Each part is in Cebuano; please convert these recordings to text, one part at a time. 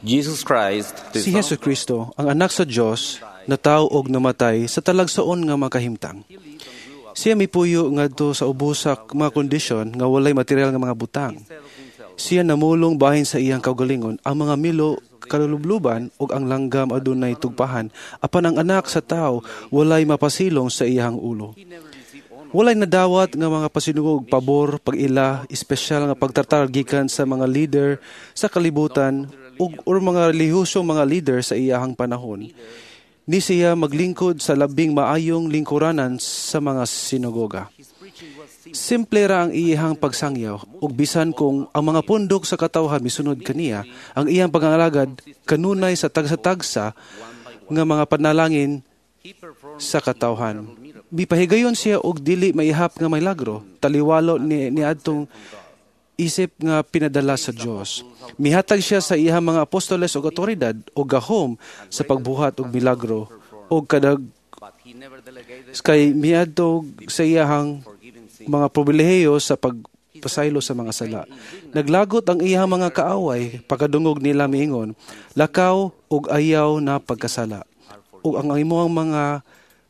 Jesus Christ, the Si Son Hesus of God, Kristo, ang anak sa Dios, natawo og namatay sa talagsaon nga makahimtang. Siya mipuyo ngadto sa ubos sa mga kondisyon nga walay material nga mga butang. Siya namulong bahin sa iyang kaugalingon ang mga milo kalulubluban ug ang langgam adunay tugpahan, apan ang anak sa tao walay mapasilong sa iyang ulo. Walay nadawat nga mga pasinugog, pabor, pag-ila, espesyal nga pagtratar gikan sa mga leader sa kalibutan ug or mga relihiyosong mga leader sa iyahang panahon. Ni siya maglingkod sa labing maayong lingkuranan sa mga sinagoga. Simple ra ang iyahang pagsangyaw ug bisan kung ang mga pundok sa katawhan misunod kaniya, ang iyang pangangalagad kanunay sa tagsa-tagsa nga mga panalangin sa katawhan. Mipahigayon siya og dili maihap nga milagro, taliwalo ni niadtong isip nga pinadala sa Dios. Mihatag siya sa iyang mga apostoles og awtoridad og gahom sa pagbuhat og milagro og kadag but he never delegated kay miadto sa iyahang forgiving sin. mga pribilehiyo sa pagpasaylo sa mga sala. Naglagot ang iyang mga kaaway pagkadungog nila miingon, "Lakaw ug ayaw na pagkasala." Ug ang imong mga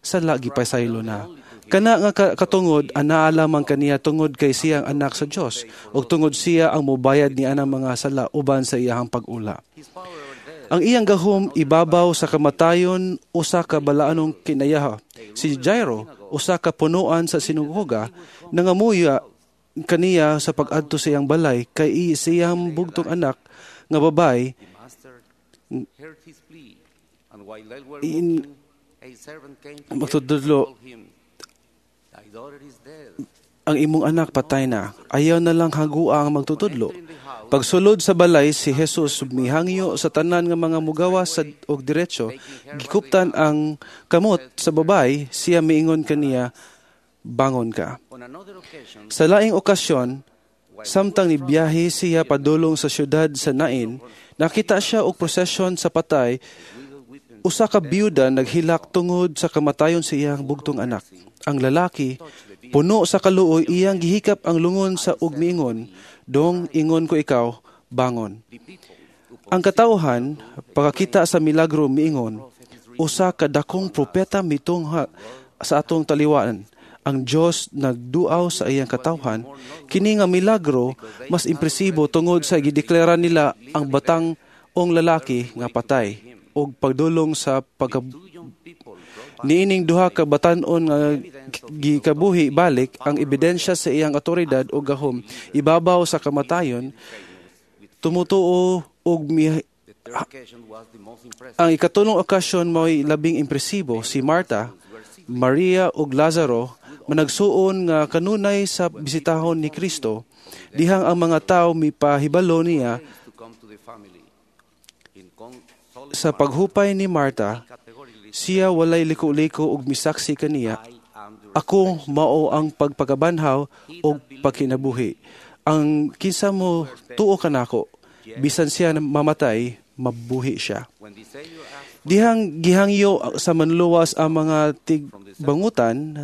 sala gipasaylo na. Kana nga katungod anaa lamang kaniya tungod kay siya ang anak sa Dios ug tungod siya ang mobayad ni anang mga sala uban sa iyahang pag-ula. His power over death Ang iyang gahom ibabaw sa kamatayon, usa ka balaanong kinayaha. Si Jairo, usa ka punuan sa sinagoga, nangamuya kaniya sa pag-adto sa iyang balay kay siyang bugtong anak nga babay The master heard his plea, and while they were walking, a servant came to him and Magtudlo. told him, "Thy daughter is dead." "Ang imong anak patay na. Ayaw na lang hagua ang magtutudlo." Pagsulod sa balay, si Jesus mihangyo sa tanan nga mga mugawas sa og diretso, gikuptan ang kamot sa babay, siya miingon kaniya, "Bangon ka." On another occasion, Sa laing okasyon, samtang nibiyahe siya padulong sa syudad sa Nain, nakita siya og prosesyon sa patay, usa ka biyuda naghilak tungod sa kamatayon sa iyang bugtong anak. Ang lalaki, puno sa kaluoy, iyang gihikap ang lungon sa ug miingon, "Dong, ingon ko ikaw, bangon." the people who Ang katawhan, pagkakita sa milagro, miingon, "Usa ka dakong propeta mitungha sa atong taliwaan. Ang Dios nagduaw sa iyang katawhan." Kini nga milagro mas impresibo tungod sa gideklara nila ang batang ong lalaki nga patay og pagdulong sa pagka two young people brought niining duha ka batan-on nga gikabuhi balik, ang ebidensya sa iyang awtoridad o gahom ibabaw sa kamatayon, tumutuo og The third occasion was the most impressive. Ang ikatulong okasyon mao'y labing impresibo. Si Marta, Maria ug Lazaro managsuon nga kanunay sa bisitahon ni Kristo dihang ang mga tawo mipahibalo niya. To come to the family. In solid Sa paghupay ni Marta, categorically, siya walay liko-liko ug misaksi kaniya, "I am the "Ako mao ang pagpakabanhaw ug pagkinabuhi. Ang kinsa mo tuo kanako, bisan siya mamatay, mabuhi siya." When the Savior asked Dihang gihangyo sa manluwas ang mga tigbangutan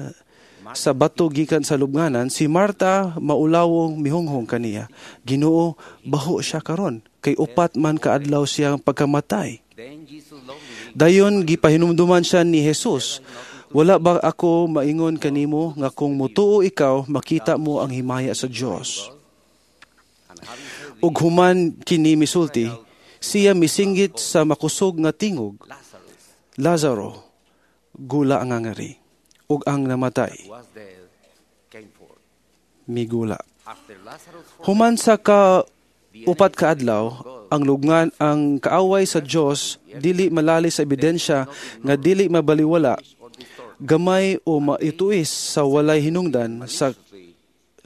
sa bato gikan sa lubnganan, si Marta maulawong mihunghong kaniya, "Ginoo, baho siya karon, kay 4 man kaadlaw siyang pagkamatay." Then Jesus lovingly Dayon gipahinumduman siya ni Jesus, "Wala ba ako maingon kanimo nga kung mutuo ikaw, makita mo ang himaya sa Dios?" And having said Ug human kini misulti, siya misinggit sa makusog nga tingog, "Lazarus, "Lazaro, gula ang ngangari." Ug ang namatay was dead, came forth. migula. After Lazarus Human sa ka 4 ka adlaw, ang lubngan ang kaaway sa Dios dili malali sa ebidensya nga dili mabaliwala, or distort gamay o maituis sa walay hinungdan sa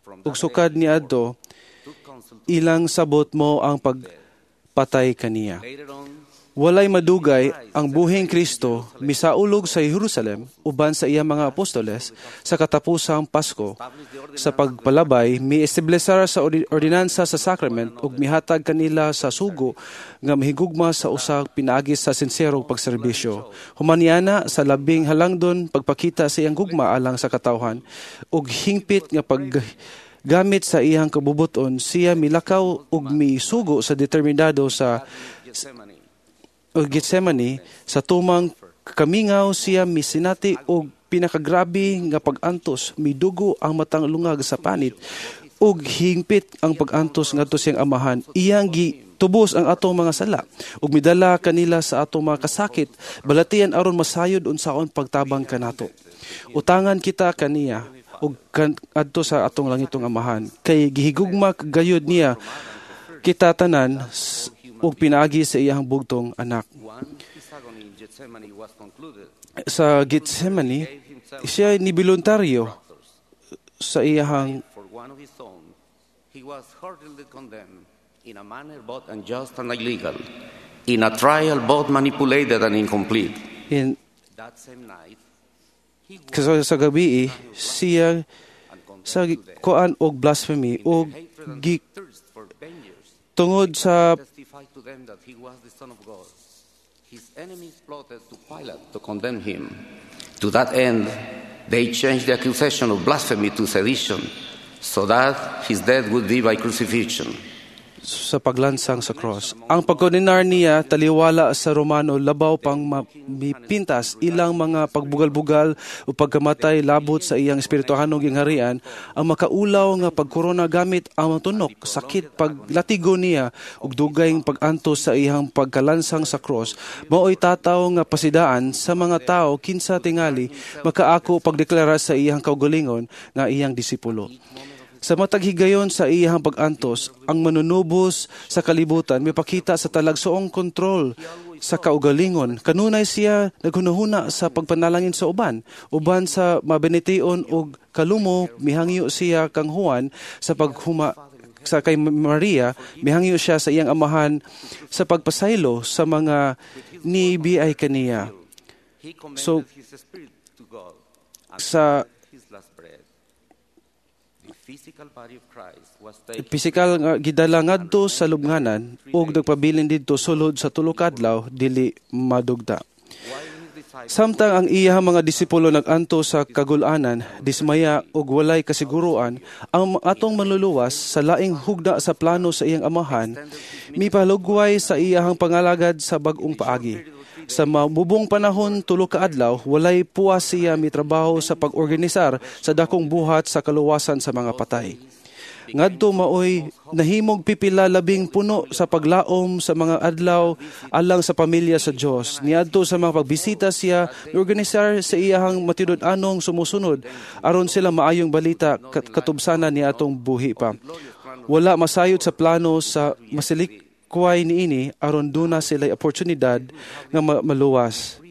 from ug sukad niadto took counsel ilang sabot mo ang pagpatay kaniya. Later on, Walay madugay ang buhing Kristo misaulog sa Jerusalem uban sa iyang mga apostoles sa katapusang Pasko. Sa pagpalabay, miestablesar sa ordinansa sa sacrament ug mihatag kanila sa sugo nga mahigugma sa usa pinaagi sa sinserong pagserbisyo. Humaniana sa labing halangdon pagpakita sa iyang gugma alang sa katawhan ug hingpit nga pag gamit sa iyang kabubuton, siya milakaw ug misugo sa determinado sa Gethsemane. o Gethsemane sa tumang kamingaw siya misinati og pinakagrabe nga pag-antos, midugo ang matang lungag sa panit ug hingpit ang pag-antos ngadto siyang Amahan. Iyang gitubos ang atong mga sala ug midala kanila sa atong mga kasakit, balatian aron masayod unsaon pagtabang kanato. Utangan kita kaniya ug adto sa atong langitong Amahan kay gihigugma gayud niya kita tanan ug pinaagi sa iyang bugtong anak. Sa Gethsemane, siya ni voluntaryo sa iyang He was hurriedly condemned in a manner both unjust and illegal, in a trial both manipulated and incomplete. In that same night, he sa, sa gabi siya sa kuan og blasphemy og gi, thirst for vengeance, tungod sa testified to them that he was the Son of God. His enemies plotted to Pilate to condemn him. To that end, they changed the accusation of blasphemy to sedition, so that his death would be by crucifixion. Sa paglansang sa cross. Ang pagkondenar niya taliwala sa Romano labaw pang mipintas ilang mga pagbugal-bugal o pagkamatay labot sa iyang espirituhanong gingharian, ang makaulaw nga pagkorona gamit ang tunok, sakit, paglatigo niya ug dugay pag-antos sa iyang pagkalansang sa cross, maoy tataw nga pasidaan sa mga tao kinsa tingali makaako pagdeklara sa iyang kaugalingon nga iyang disipulo. Sa matag higayon sa iyang pag-antos, ang manunubos sa kalibutan mipakita sa talagsoong kontrol sa kaugalingon. Kanunay siya naghunahuna sa pagpanalangin sa uban. Uban sa mabenitiyon og kalumo, mihangyo siya kang Juan sa paghuma sa kay Maria, mihangyo siya sa iyang Amahan sa pagpasaylo sa mga nibiay kaniya. He commended his spirit to God and Sa his last breath. The physical body of Christ was taken pisikal nga gidala ngadto sa lubnganan ug nagpabilin didto sulod sa tulo ka adlaw dili madugta. While his disciples Samtang ang iyang mga disipulo nag-anto sa kagulanan, dismaya ug walay kasiguruan, ang atong Manluluwas sa laing hugna sa plano sa iyang Amahan, mipalugway sa iyang pangalagad sa bag-ong paagi. Sa mamubong panahon 3 ka adlaw, walay puwas siya mitrabaho sa pag-organisar sa dakong buhat sa kaluwasan sa mga patay. Ngadto maoy nahimog pipila labing puno sa paglaom sa mga adlaw alang sa pamilya sa Dios. Niadto sa mga pagbisita siya, miorganisar sa iyahang matinud-anong sumusunod aron sila maayong balita katubsanan ni atong buhi pa. Wala masayod sa plano sa masilikway niini aron duna sila oportunidad nga maluwas.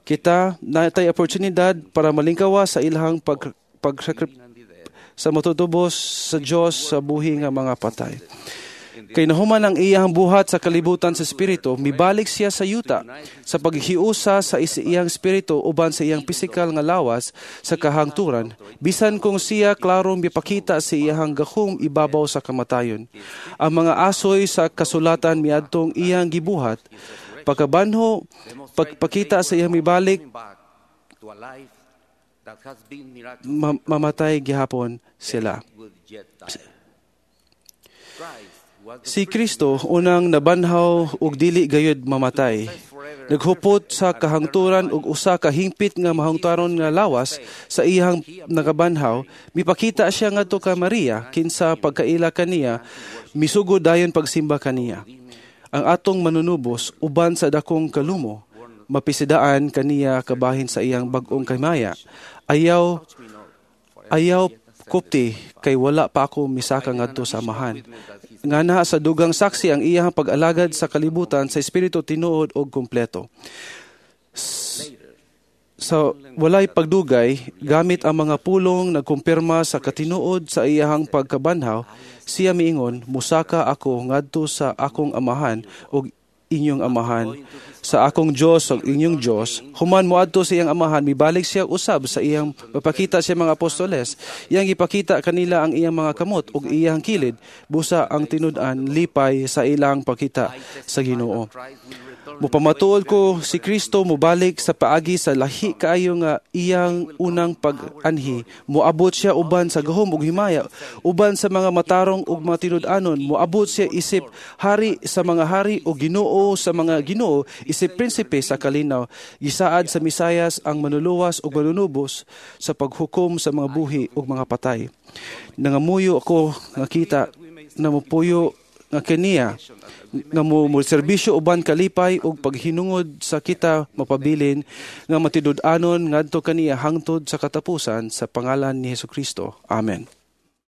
Kita natay oportunidad para malingkawa sa ilahang pag, pag sa matutubos sa Dios sa buhi nga mga patay. Kay nahuman ang iyang buhat sa kalibutan sa espiritu, mibalik siya sa yuta sa paghiusa sa iyang espiritu uban sa iyang pisikal nga lawas sa kahangturan, bisan kung siya klarong mipakita sa iyang gahom ibabaw sa kamatayon. Ang mga asoy sa kasulatan miadtong iyang gibuhat, pagkabanho, pagpakita sa iyang mibalik, back to a life that has been miraculous mamatay gihapon sila. Would yet die. Christ was the Si Kristo unang nabanhaw ug dili gayud mamatay. Naghupot sa kahangturan ug usa ka hingpit nga mahangturon nga lawas sa iyang nakabanhaw, mipakita siya ngadto ka Maria kinsa pagkaila kaniya, misugod dayon pagsimba kaniya. Ang atong Manunubos uban sa dakong kalumo, mapisidaan kaniya kabahin sa iyang bag-ong kamaya. Ayaw ayaw kupti kay wala pa ako misaka ngadto sa Amahan. Ngana sa dugang saksi ang iyang pag-alagad sa kalibutan sa espiritu tinuod og kompleto. Sa walay pagdugay, gamit ang mga pulong nagkumpirma sa katinuod sa iyahang pagkabanhaw, siya miingon, "Musaka ako ngadto sa akong Amahan ug inyong Amahan, sa akong Dios ug inyong Dios." Human moadto sa iyang Amahan, mibalik siya usab sa iyang mapakita sa mga apostoles. Iyang ipakita kanila ang iyang mga kamot ug iyang kilid, busa ang tinud-an lipay sa ilang pakita sa Ginoo. Christ will return Mupamatuod ko si Kristo mobalik sa paagi sa lahi kaayo nga iyang unang pag-anhi. Moabot siya uban sa gahom ug himaya, uban sa mga matarong ug mga tinud-anon. Moabot siya isip hari sa mga hari ug Ginoo. Ginoo sa mga Ginoo, isip prinsipe sa kalinaw. Gisaad sa Misayas ang manluluwas ug manunubos sa paghukom sa mga buhi ug mga patay. Nangamuyo ako nga kita na mopuyo nga kaniya nga mo serbisyo uban kalipay ug paghinungod sa kita mapabilin nga matinud-anon ngadto kaniya hangtod sa katapusan sa pangalan ni Hesukristo. Amen.